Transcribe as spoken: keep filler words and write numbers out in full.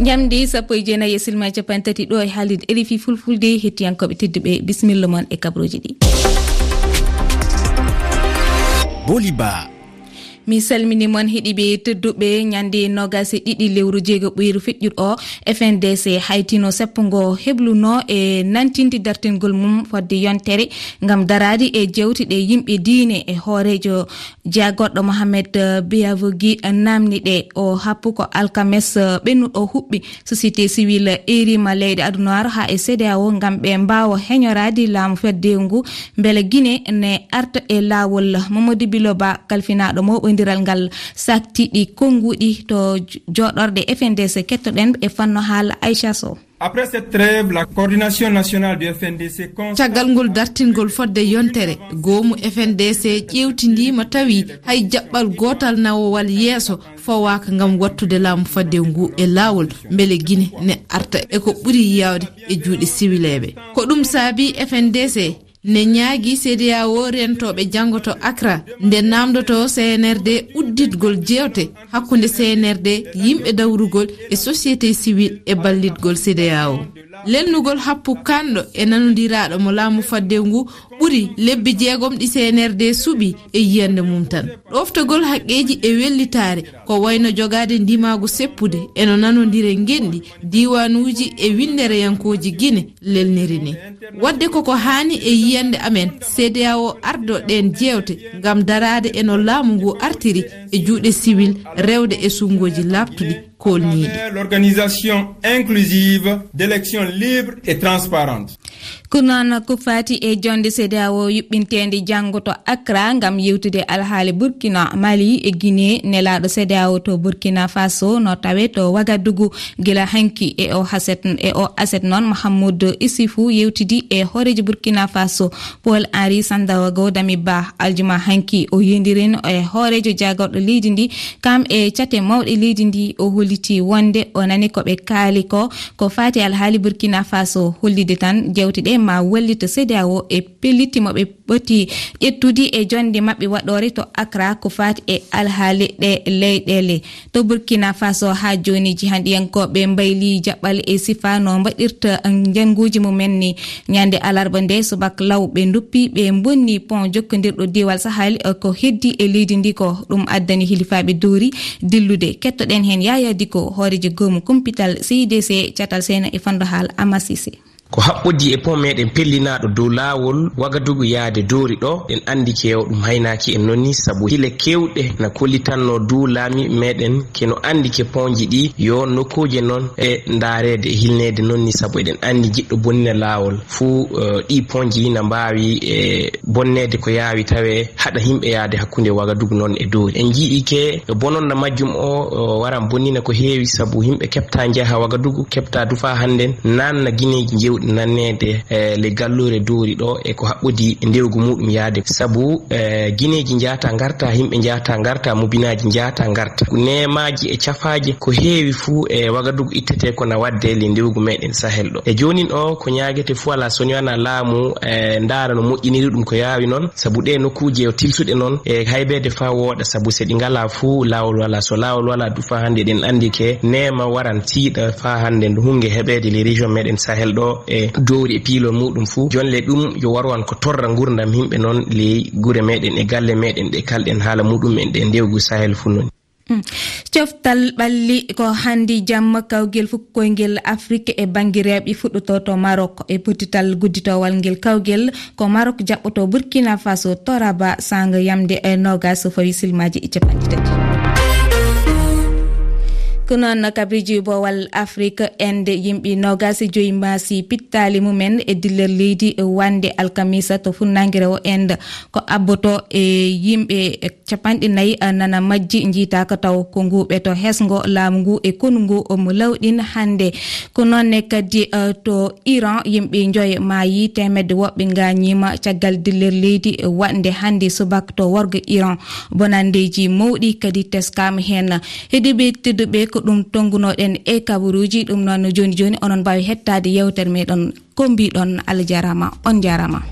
Njamdi sappo e jeenayi e silma capanɗe tati ɗo e haalirde R F I Fulfulde. Hettiyankooɓe tedduɓe, bisimilla mon e kabrooji ɗi. Boliba. Mi salmini mon heɗiiɓe tedduɓe, ñande noogas e ɗiɗi lewru jeego ɓuyru feƴƴuɗo o, F N D C haytino seppo ngo hebluno e nantinde dartingol mum fodde yontere ngam daraade e jewte ɗe yimɓe diine e hooreejo Jagorɗo Mohamed, eh, Beyavogi, eh, namni ɗe. O happu ko alkames, eh, ɓennuɗo huɓɓi. Société civile erima leyɗe adunaaru haa e C D A O ngam ɓe mbaawa heñoraade laamu fedde ngu, mbele Gine ne arta e laawol. Mamadou Biloba, kalfinaaɗo moɓondiral ngal, sakti ɗi konnguɗi to jo-, joɗorɗe F N D C. Kettoɗen e fanno haala Aïcha Sow. Après cette trêve, la coordination nationale du F N D C constata. Caggal ngol dartingol fodde yontere, goomu F N D C ƴeewtindiima tawi hay jaɓɓal gootal nawowal yeeso fawaaka ngam wattude laamu fadde ngu e laawol, mbele Gine ne arta e ko ɓuri yaawde e juuɗe siwileeɓe. Ko ɗum saabi F N D C ne ñaagi C D A O rentooɓe janngo to Accra, nde naamndotoo C N R D udditgol jeewte hakkunde C N R D, yimɓe dawrugol e société civile e ballitgol C D A O. Lelnugol happu kanɗo e nanondiraaɗo mo laamu fadde ngu ɓuri lebbi jeegom ɗi C N R D suɓi e yiyannde mum tan. Ɗoftagol haqqeeji e wellitaare, ko wayno jogaade ndimaagu seppude e no nanondire ngenɗi diiwaanuuji e winndereyankooji Gine lelniri ni. Waɗde koko haani e yiyannde amen, C D A O ardo ɗeen jeewte ngam daraade e no laamu ngu artiri e juuɗe siwil, rewde e sunngooji laaɓtuɗi, koolniiɗi. L'organisation inclusive d'élections libres et transparentes. Ko noon ko fati e jonde C D A O yuɓɓinteende janngo to Accra ngam yewtude alhaali Burkina, Mali e Guinée. Nelaaɗo C D A O to Burkina Faso no tawe to Wagadugu gila hanki. E o haset, e o aset noon, Mahamoud Issoufou yewtidi e hooreejo Burkina Faso, Paul Henri Sandaogo Damiba, aljuma hanki. O yindirin e hooreejo jaagorɗo leydi ndi, kam e cate mawɗe leydi ndi. O holliti wonde o nani ko ɓe kaali ko, ko fati alhaali Burkina Faso, hollide tan jewte ɗe ma wallita C D A O e pellitti mo ɓe ɓoti ƴettude e jonde maɓɓe waɗore to Accra ko fati e alhaali ɗe leyɗele. To Burkina Faso, haa jooni, jihanɗiyankooɓe mbayli jaɓɓal e sifa no mbaɗirta njannguuji mumen ni. Ñande alarba nde subak law, ɓe nduppi, ɓe mbonni pont jokkondirɗo diwal Sahel, eh, ko heddi e leydi ndi ko. Ɗum addani hilifaaɓe Dori dillude. Kettoɗen heen Yaya Diko, hooreejo goomu kumpital C I D C, catal Sena e fanndo haala Amasise. Ko haɓɓodii e pont meɗen pellinaaɗo dow laawol Wagadugu yaade Dori ɗo, en anndi ke o ɗum haynaaki en noon ni, sabu hile keewɗe na kollitanno dow laamiiɓe meɗen ke no anndi ke ponji ɗi yo nokkuuje noon e ndaareede e hilneede noon ni, sabu eɗen anndi jiɗɗo bonnina laawol fuu, eh, ɗi ponji na mbaawi, eh, bonneede ko yaawi tawe haɗa yimɓe yaade hakkunde Wagadugu noon e Dori. En njii ke bononna majjum o, o waran bonnina ko heewi, sabu yimɓe keɓta njaha Wagadugu, keɓta du faa hannden nanna gineeji jewɗi nanneede, eh, le galluure Dori ɗo e ko haɓɓodi e ndewgu muɗum yaade. Sabu, eh, gineeji njata ngarta, yimɓe njata ngarta, mubinaaji njata ngarta. Neemaaji e cafaaje ko heewi fuu e Wagadugu ittete ko na wadde le ndewgu meɗen Sahel ɗo. E joonin o ko ñaagete fuu alaa so wonaa laamu, eh, ndaara no moƴƴiniri ɗum ko yaawi noon, sabu ɗe nokkuuje yo tilsuɗe noon e haybeede faa wooɗa, sabu se ɗi ngalaa fuu laawol walaa. So laawol walaa du faa hannde eɗen anndi ke neema waran tiiɗa faa hannde ndu hunnge heɓeede le région meɗen Sahel ɗo e Dori e piilol muɗum fuu. Jonle ɗum yo waru an ko torra ngurdam yimɓe noon ley gure meɗen e galle meɗen ɗe kalɗen haala muɗum en ɗe ndewgu Sahel fuu noon. Mm. Coftal ɓalli ko hannde jamma kawgel fukkoyngel Afrik e bannge rewɓe fuɗɗoto to Maroc. E pottital gudditowal ngel kawgel ko Maroc jaɓɓoto Burkina Faso to Rabat sanga yamde e noogas so fawi silmaaji e capanɗe tati. Ko noon kabriji bowal Afrik, Inde yimɓe noogas e joyi maasi pittaali mumen e dillere leydi wande alkamisa to funnaange rewo Inde. Ko abboto e yimɓe capanɗe nayi, a, nana majji, njiitaaka taw. Ko ngu ɓeto hesngo laamu ngu e konu ngu omo lawɗin hannde. Ko noon ne kadi, a, to Iran, yimɓe njoyo maayi, teemedde woɓɓe ngaañiima caggal dillere leydi waɗnde hannde subaka to worgo Iran. Bonanndeeji mawɗi kadi teskaama heen. Heɗiiɓe tedduɓe, ko ɗum tonngunoɗen e kabaruuji. Ɗum noon, jooni jooni, onon mbaawi heɗtaade yeewtere meɗen. Ko mbiɗon, Allah jaaraama, on jaaraama.